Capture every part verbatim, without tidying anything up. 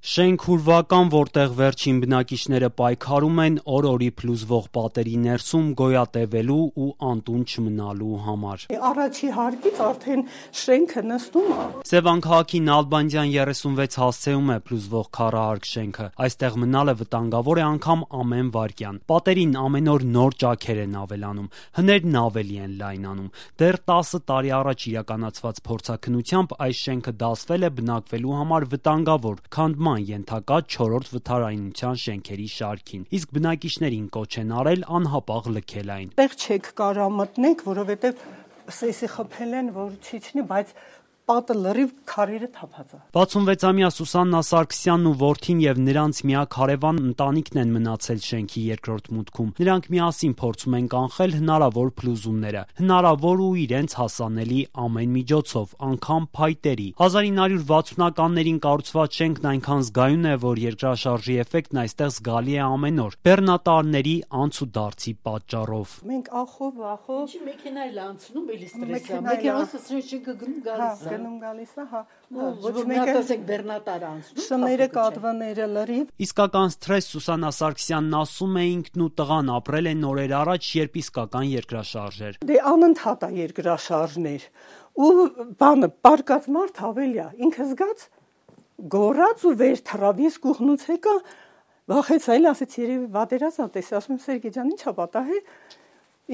Շենք հուրվական, որտեղ վերջին բնակիչները պայքարում են օր-օրի փլուզվող պատերի ներսում գոյատևելու ու անտուն չմնալու համար։ Առաջի հարկից արդեն շենքը նստում է։ Սևան քաղաքի Նալբանդյան երեսունվեց հասցեում է փլուզվող քառահարկ շենքը։ Այստեղ մնալը վտանգավոր է անգամ ամեն վայրկյան։ Պատերին ամեն օր նոր ճաքեր են ավելանում, հներն ավելի են լայնանում։ Դեռ տասը տարի առաջ իրականացված փորձաքննությամբ այս շենքը դասվել է բնակվելու համար վտանգավոր, քանդման ենթակա չորրորդ վթարայնության շենքերի շարքին, իսկ բնակիչներին կոչ են արել անհապաղ լքել այն։ Տեղ չեք կարա մտնեք, որովհետև սեսի խփել են, որ չիջնի, բայց պատը լրիվ քարերը թափած է։ վաթսունվեցամյա Սուսաննա Սարգսյանն ու որդին եւ նրանց միակ հարևան ընտանիքն են մնացել շենքի երկրորդ մուտքում։ Նրանք միասին փորձում են կանխել հնարավոր փլուզումները, հնարավոր ու իրենց հասանելի ամեն միջոցով, անգամ փայտերի։ հազար ինը հարյուր վաթսունականներին կառուցված շենքն այնքան զգայուն է, որ երկրաշարժի էֆեկտն այստեղ զգալի է ամեն օր, բեռնատարների անց ու դարձի պատճառով։ Մենք ախով, ախով Ինչի մեքենա էլ անցնում, էլի ստրես է։ Մեքենաս շենքը գնում գալիս է։ Գնում գալիս է, հա։ Ոչ մեկը ասեք բեռնատար անցնում։ Շները, կատվները լրիվ։ Իսկական սթրես Սուսաննա Սարգսյանն ասում է, ինքն ու տղան ապրել են նորեր առաջ, երբ իսկական երկրաշարժ էր։ Դե անընդհատ է երկրաշարժներ։ Ու բանը պարկած մարդ ավելի է, ինքը զգաց գորած ու վեր թռավ, ես կուղնուց եկա, վախեց, այլ ասեց երևի վատերազ ա տեսա, ասում Սերգեյ ջան, ի՞նչ ա պատահել։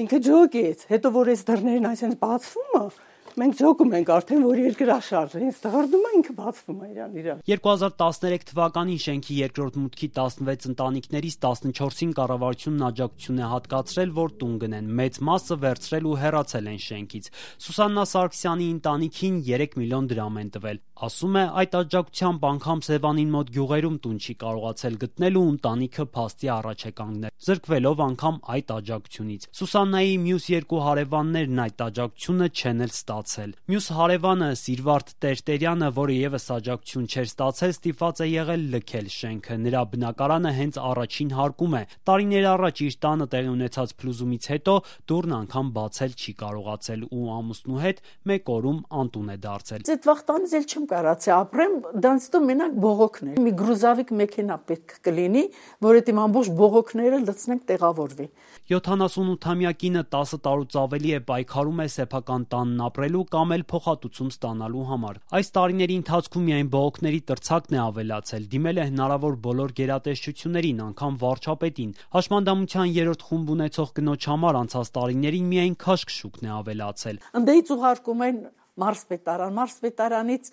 Ինքը ջոգեց, հետո որ այս դռներն այսպես բացվում է, մենք ջոգում ենք արդեն, որ երկրաշարժ է, ինձ դղրդում է, ինքը բացվում է իրան իրան։ երկու հազար տասներեք թվականին շենքի երկրորդ մուտքի տասնվեց ընտանիքներից տասնչորսին կառավարությունն աջակցություն է հատկացրել, որ տուն գնեն, մեծ մասը վերցրել ու հեռացել են շենքից։ Սուսաննա Սարգսյանի ընտանիքին երեք միլիոն դրամ են տվել։ Ասում է, այդ աջակցությամբ անգամ Սևանին մոտ գյուղերում տուն չի կարողացել գտնել ու ընտանիքը փաստի առաջ է կանգնել, զրկվելով անգամ այդ աջակցությունից։ Սուսաննայի մյուս երկու հարևաններն այդ աջակցությունը չեն էլ ստացել։ Մյուս հարևանը Սիրվարդ Տերտերյանը, որը եւս աջակցություն չէր ստացել, ստիպված է եղել լքել շենքը։ Նրա բնակարանը հենց առաջին հարկում է։ Տարիներ առաջ իր տանը տեղի ունեցած փլուզումից հետո դուռն անգամ բացել չի կարողացել ու ամուսնու հետ մեկ օրում անտուն է դարձել։ Այդ վաղտանից էլ չեմ կարացի ապրեմ, դրանցից մենակ բողոքն է։ Մի գրուզավիկ մեքենա պետք կլինի, որ այդ իմ ամբողջ բողոքները լցնենք տեղավորվի։ յոթանասունութամյա կինը տասը տարուց ավելի է պայքարում է սեփական տանն ապրելու կամ էլ փոխհատուցում ստանալու համար։ Այս տարիների ընթացքում միայն բողոքների տրցակն է ավելացել, դիմել է հնարավոր բոլոր գերատեսչություններին, անգամ վարչապետին։ Հաշմանդամության երրորդ խումբ ունեցող կնոջ համար անցած տարիներին միայն քաշքշուկն է ավելացել։ Ընդդեից ուղարկում են մարզպետարան, մարզպետարանից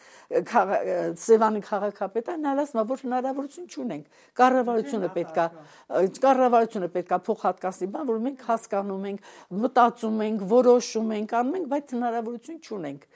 Սևանի քաղաքապետարան, ասում որ հնարավորություն չունենք։ Կառավարությունը պետքա, կառավարությունը պետքա փոխհատկացնի, բան, որ մենք հասկանում ենք, մտածում ենք, որոշում ենք, անում ենք, բայց հնարավորություն չունենք։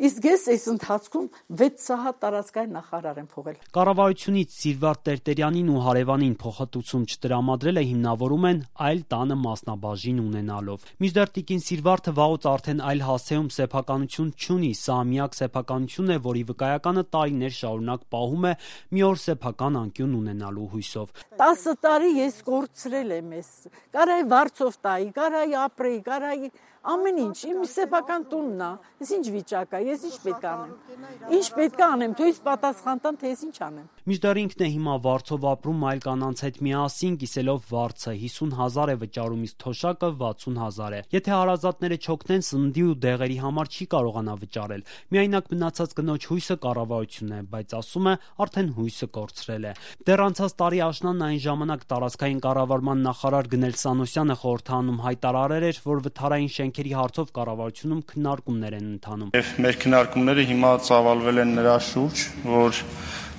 Իսկ ես այս ընթացքում վեց սահատ տարածքային նախարար եմ փողել։ Կառավարությունից Սիրվարդ Տերտերյանին ու հարևանին փոխհատուցում չտրամադրելը հիմնավորում են այլ տանը մասնաբաժին ունենալով։ Մինչդեռ տիկին Սիրվարդը վաղուց արդեն այլ հասցեում սեփականություն չունի, սա միակ սեփականությունն է, որի վկայականը տարիներ շարունակ պահում է մի օր սեփական անկյուն ունենալու հույսով։ տասը տարի ես կորցրել եմ ես։ Կարայի վարձով տայի, կարայի ապրեի, կարայի ամեն ինչ, իմ սեփական տունն է, ես ինչ վիճակ է, ես ինչ պետք անեմ, ինչ պետք անեմ, թույս պատասխան տան, թե ես ինչ անեմ։ Մինչդեռ ինքն է հիմա վարձով ապրում այլ կանանց հետ միասին, կիսելով վարձը հիսուն հազար է վճարում, իսկ թոշակը վաթսուն հազար է։ Եթե հարազատները չօգնեն, սննդի ու դեղերի համար չի կարողանա վճարել։ Միայնակ մնացած կնոջ հույսը կառավարությունն է, բայց ասում է, արդեն հույսը կորցրել է։ Դեռ անցած տարի աշնանն այն ժամանակ տարածքային կառավարման նախարար Գնել Սանոսյանը խորհրդանում հայտարարել էր, որ վթարային շենքերի հարցով կառավարությունում քննարկումներ են ընթանում։ Եվ մեր քննարկումները հիմա ծավալվել են նրա շուրջ, որ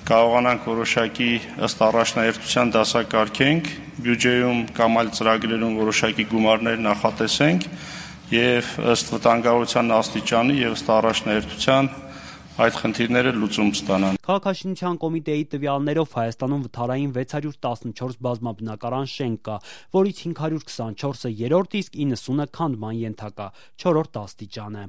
կարողանանք որոշակի ըստ առաջնահերթության դասակարգենք, բյուջեում կամ այլ ծրագրերում որոշակի գումարներ նախատեսենք եւ ըստ վտանգավորության աստիճանի եւ ըստ առաջնահերթության այդ խնդիրները լուծում ստանան։ Քաղաքաշինության կոմիտեի տվյալներով Հայաստանում վթարային վեց հարյուր տասնչորս բազմաբնակարան շենք կա, որից հինգ հարյուր քսանչորսը երրորդ, իսկ իննսունը քանդման ենթակա, չորրորդ աստիճան է։